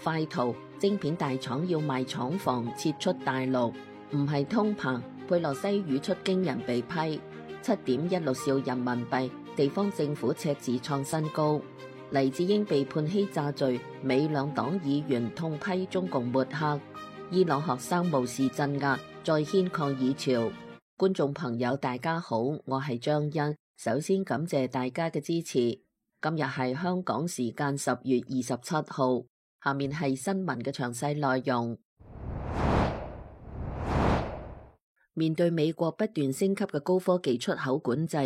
快圖，晶片大廠要賣廠房撤出大陸，唔係通膨。佩洛西語出驚人被批7.16兆人民幣，地方政府赤字創新高。黎智英被判欺詐罪，美兩黨議員痛批中共抹黑。伊朗學生無視鎮壓，再掀抗議潮。觀眾朋友大家好，我係張欣，首先感謝大家嘅支持。今日係香港時間10月27號，下面係新聞嘅詳細內容。面對美國不斷升級嘅高科技出口管制，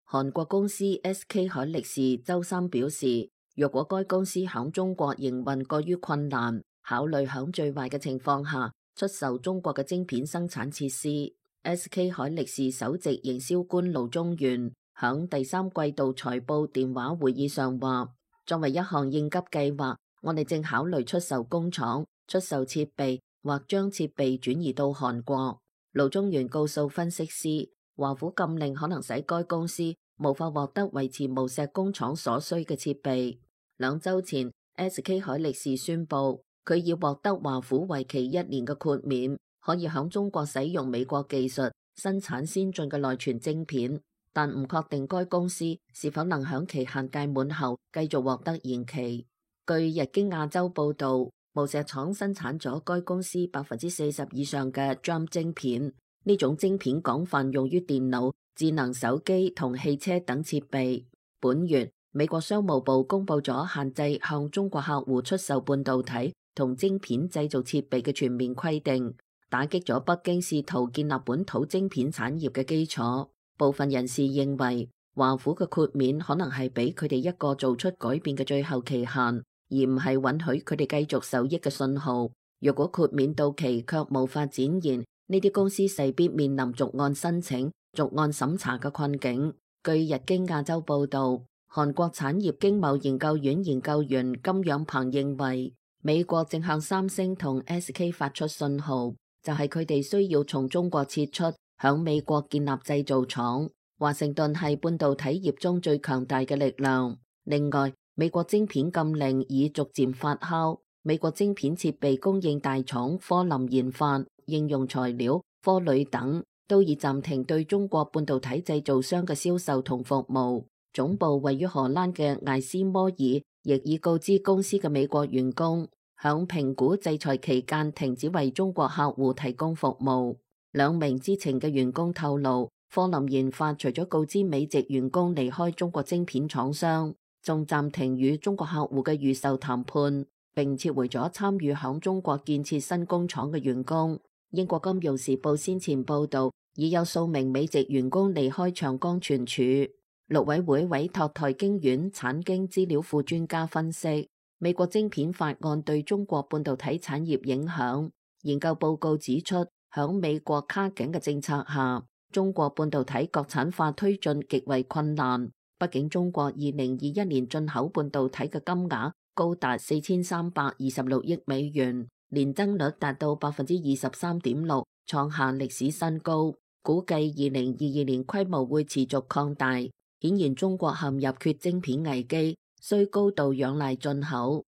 韓國公司 SK 海力士周三表示，若果該公司響中國營運過於困難，考慮響最壞嘅情況下出售中國嘅晶片生產設施。SK 海力士首席營銷官盧宗元響第三季度財報電話會議上話，作為一項應急計劃，我哋正考慮出售工廠、出售設備或將設備轉移到韓國。盧宗元告訴分析師，華府禁令可能使該公司無法獲得維持無錫工廠所需嘅設備。2週前 SK 海力士宣布，佢已獲得華府為期1年嘅豁免，可以響中國使用美國技術生產先進嘅內存晶片，但唔確定該公司是否能響期限屆滿後繼續獲得延期。據日經亞洲報道，無錫廠生產咗該公司40%以上嘅 DRAM 晶片，呢種晶片廣泛用於電腦、智能手機同汽車等設備。本月，美國商務部公布咗限制向中國客戶出售半導體同晶片製造設備嘅全面規定，打擊咗北京試圖建立本土晶片產業嘅基礎。部分人士認為，華府嘅豁免可能係俾佢哋一個做出改變嘅最後期限，而唔係允許佢哋繼續受益嘅信號。若果豁免到期卻無法展現，呢啲公司勢必面臨逐案申請、逐案審查嘅困境。據日經亞洲報道，韓國產業經貿研究院研究員金仰鵬認為，美國正向三星同 SK 發出信號，就係佢哋需要從中國撤出，響美國建立製造廠。華盛頓係半導體業中最強大嘅力量。另外，美國晶片禁令已逐漸發酵，美國晶片設備供應大廠科林研發、應用材料、科磊等都已暫停對中國半導體製造商嘅銷售同服務。總部位於荷蘭嘅艾斯摩爾亦已告知公司嘅美國員工，響評估制裁期間停止為中國客戶提供服務。2名知情嘅員工透露，科林研發除咗告知美籍員工離開中國晶片廠商，仲暫停與中國客戶嘅預售談判，並撤回咗參與響中國建設新工廠嘅員工。英國金融時報先前報道，已有數名美籍員工離開長江存儲。陸委會委託台經院產經資料庫專家分析美國晶片法案對中國半導體產業影響。研究報告指出，響美國卡緊嘅政策下，中國半導體國產化推進極為困難。畢竟中國2021年進口半導體嘅金額高達4326億美元，年增率達到23.6%，創下歷史新高。估計2022年規模會持續擴大。顯然中國陷入缺晶片危機，需高度仰賴進口。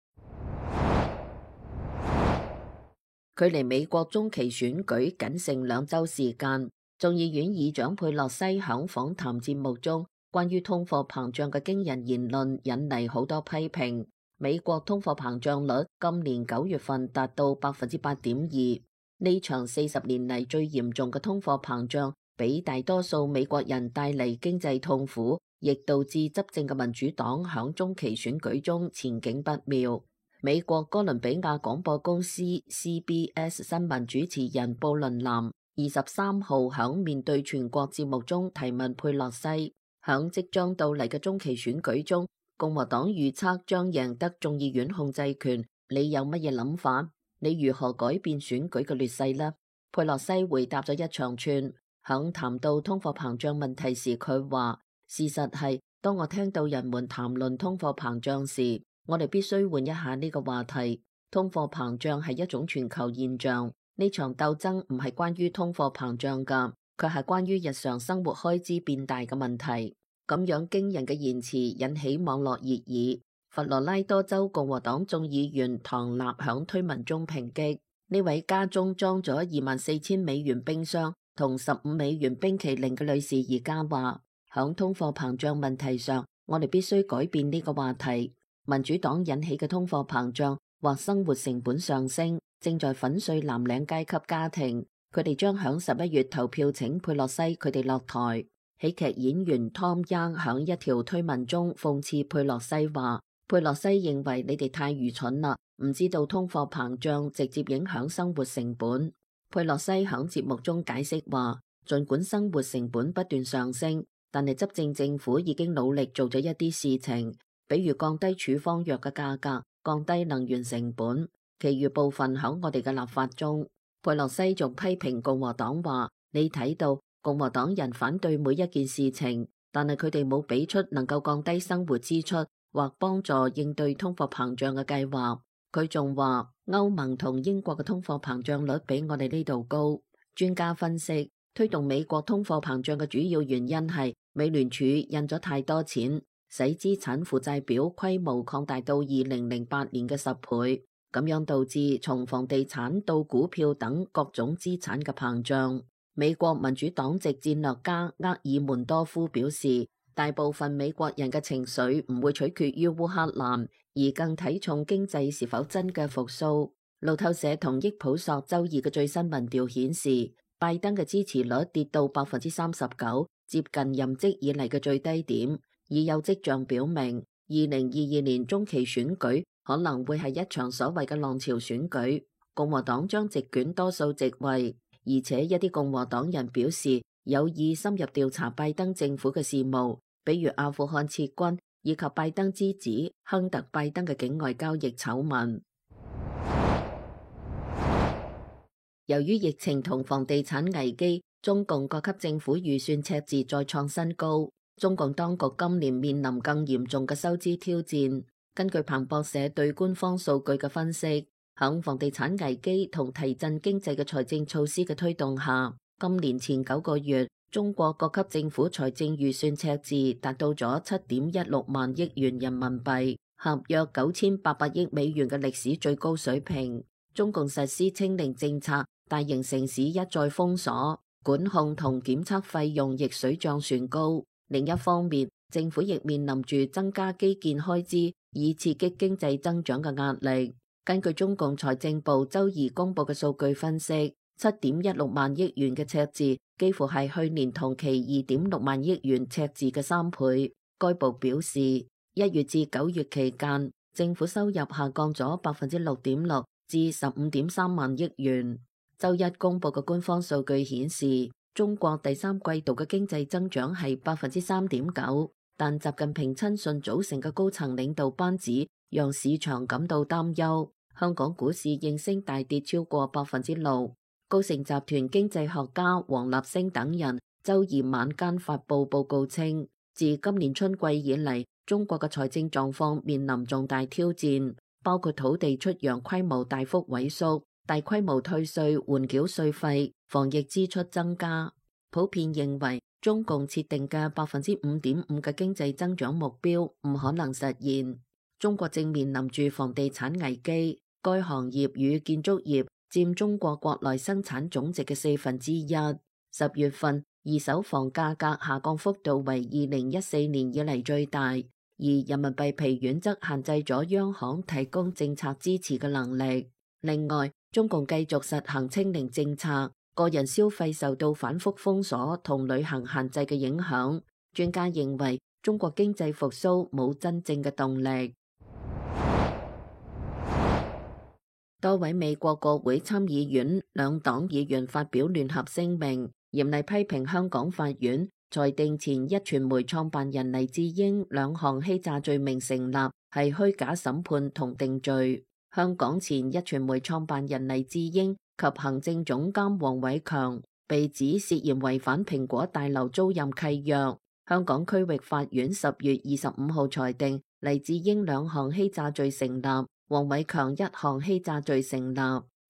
距離美國中期選舉僅剩2週時間，眾議院議長佩洛西響訪談節目中關於通貨膨脹嘅驚人言論引嚟好多批評。美國通貨膨脹率今年9月份達到8.2%，呢場40年嚟最嚴重嘅通貨膨脹，俾大多數美國人帶嚟經濟痛苦，亦導致執政嘅民主黨響中期選舉中前景不妙。美國哥倫比亞廣播公司 CBS 新聞主持人布倫南23號響面對全國節目中提問佩洛西，響即將到嚟嘅中期選舉中，共和黨預測將贏得眾議院控制權，你有乜嘢諗法？你如何改變選舉嘅劣勢呢？佩洛西回答咗一長串。響談到通貨膨脹問題時，佢話：事實係，當我聽到人們談論通貨膨脹時，我哋必須換一下呢個話題。通貨膨脹係一種全球現象，呢場鬥爭唔係關於通貨膨脹㗎，佢係關於日常生活開支變大嘅問題。咁樣驚人嘅言辭引起網絡熱議。佛羅拉多州共和黨眾議員唐納響推文中抨擊呢位家中裝咗24,000美元冰箱同15美元冰淇淋嘅女士而家話，響通貨膨脹問題上，我哋必須改變呢個話題。民主黨引起嘅通貨膨脹或生活成本上升，正在粉碎藍領階級家庭。佢哋將響11月投票請佩洛西佢哋落台。喜劇演員 Tom Young 響一條推文中諷刺佩洛西話，佩洛西認為你哋太愚蠢啦，唔知道通貨膨脹直接影響生活成本。佩洛西響節目中解釋話，儘管生活成本不斷上升，但係執政政府已經努力做咗一啲事情，比如降低處方藥嘅價格、降低能源成本，其餘部分響我哋嘅立法中。佩洛西仲批評共和黨話，你睇到共和黨人反對每一件事情，但係佢哋冇俾出能夠降低生活支出或幫助應對通貨膨脹嘅計劃。佢仲話，歐盟同英國嘅通貨膨脹率比我哋呢度高。專家分析，推動美國通貨膨脹嘅主要原因係美聯儲印咗太多錢，使資產負債表規模擴大到2008年嘅10倍，咁樣導致從房地產到股票等各種資產嘅膨脹。美國民主黨籍戰略家厄爾門多夫表示，大部分美國人嘅情緒唔會取決於烏克蘭，而更睇重經濟是否真嘅復甦。路透社同益普索周二嘅最新民調顯示，拜登嘅支持率跌到39%，接近任職以嚟嘅最低點，已有跡象表明2022年中期選舉可能會係一場所謂嘅浪潮選舉，共和黨將席捲多數席位，而且一啲共和黨人表示有意深入調查拜登政府嘅事務，比如阿富汗撤軍以及拜登之子亨特拜登嘅境外交易醜聞。由於疫情同房地產危機，中共各級政府預算赤字再創新高。中共當局今年面臨更嚴重嘅收支挑戰。根據彭博社對官方數據嘅分析，響房地產危機同提振經濟嘅財政措施嘅推動下，今年前9個月，中國各級政府財政預算赤字達到咗7.16萬億元人民幣，合約9800億美元嘅歷史最高水平。中共實施清零政策，大型城市一再封鎖，管控同檢測費用亦水漲船高。另一方面，政府亦面臨住增加基建開支以刺激經濟增長嘅壓力。根據中共財政部周二公布嘅數據分析，7.16萬億元嘅赤字幾乎係去年同期2.6萬億元赤字嘅3倍。該部表示，1月至9月期間，政府收入下降咗6.6%至15.3萬億元。周一公布嘅官方數據顯示，中國第三季度嘅經濟增長係3.9%，但習近平親信組成嘅高層領導班子讓市場感到擔憂。香港股市應聲大跌超過6%。高盛集團經濟學家黃立升等人周二晚間發布報告稱，自今年春季以嚟，中國嘅財政狀況面臨重大挑戰，包括土地出讓規模大幅萎縮、大規模退稅緩繳稅費、防疫支出增加。普遍認為，中共設定嘅5.5%嘅經濟增長目標唔可能實現。中國正面臨住房地產危機，該行業與建築業佔中國國內生產總值嘅1/4。10月份二手房價格下降幅度為2014年以嚟最大，而人民幣疲軟則限制咗央行提供政策支持嘅能力。另外，中共繼續實行清零政策，個人消費受到反覆封鎖同旅行限制嘅影響。專家認為，中國經濟復甦冇真正嘅動力。多位美國國會參議院兩黨議員發表聯合聲明，嚴厲批評香港法院裁定前壹傳媒創辦人黎智英兩項欺詐罪名成立，係虛假審判同定罪。香港前壹傳媒創辦人黎智英及行政總監黃偉強被指涉嫌違反蘋果大樓租賃契約。香港區域法院10月25號裁定黎智英兩項欺詐罪成立，黃偉強一項欺詐罪成立。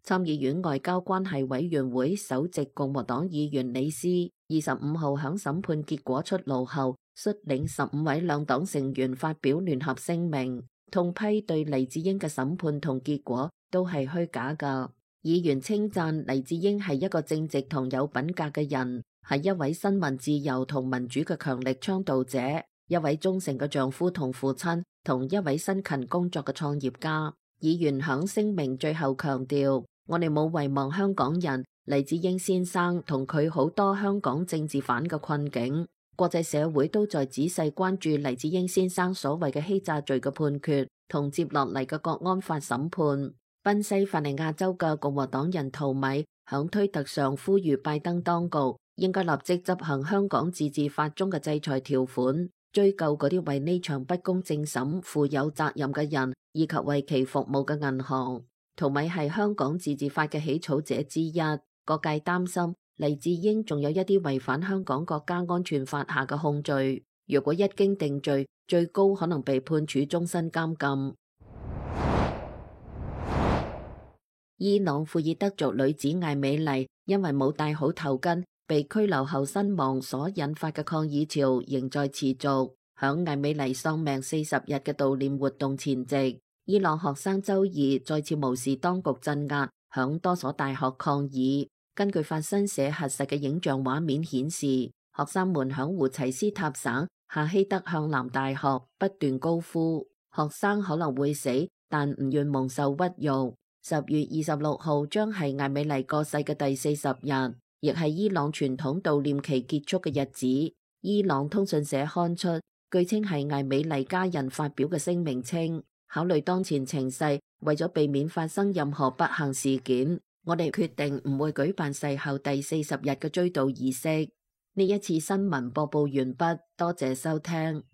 參議院外交關係委員會首席共和黨議員李斯25號響審判結果出爐後，率領15位兩黨成員發表聯合聲明，痛批對黎智英嘅審判同結果都係虛假㗎。議員稱讚黎智英係一個正直同有品格嘅人，係一位新聞自由同民主嘅強力倡導者，一位忠誠嘅丈夫同父親，同一位辛勤工作嘅創業家。議員響聲明最後強調，我哋冇遺忘香港人黎智英先生同佢好多香港政治犯嘅困境。國際社會都在仔細關注黎智英先生所謂嘅欺詐罪嘅判決同接落嚟嘅國安法審判。賓夕法尼亞州嘅共和黨人陶米響推特上呼籲拜登當局應該立即執行香港自治法中嘅制裁條款，追究嗰啲為呢場不公正審負有責任嘅人，以及為其服務嘅銀行。陶米係香港自治法嘅起草者之一，各界擔心黎智英仲有一啲違反香港國家安全法下嘅控罪，若果一經定罪，最高可能被判處終身監禁。伊朗庫爾德族女子艾美麗因為冇戴好頭巾被拘留後身亡所引發嘅抗議潮仍在持續。響艾美麗喪命40日嘅悼念活動前夕，伊朗學生周二再次無視當局鎮壓，響多所大學抗議。根據法新社核實嘅影像畫面顯示，學生們響胡齊斯塔省夏希德向南大學不斷高呼學生可能會死，但唔願蒙受屈辱。10月26號將係艾美麗過世嘅第40日，亦係伊朗傳統悼念期結束嘅日子。伊朗通訊社刊出，據稱係艾美麗家人發表嘅聲明稱，考慮當前情勢，為咗避免發生任何不幸事件，我哋決定唔會舉辦逝後第40日嘅追悼儀式。呢一次新聞播報完畢，多謝收聽。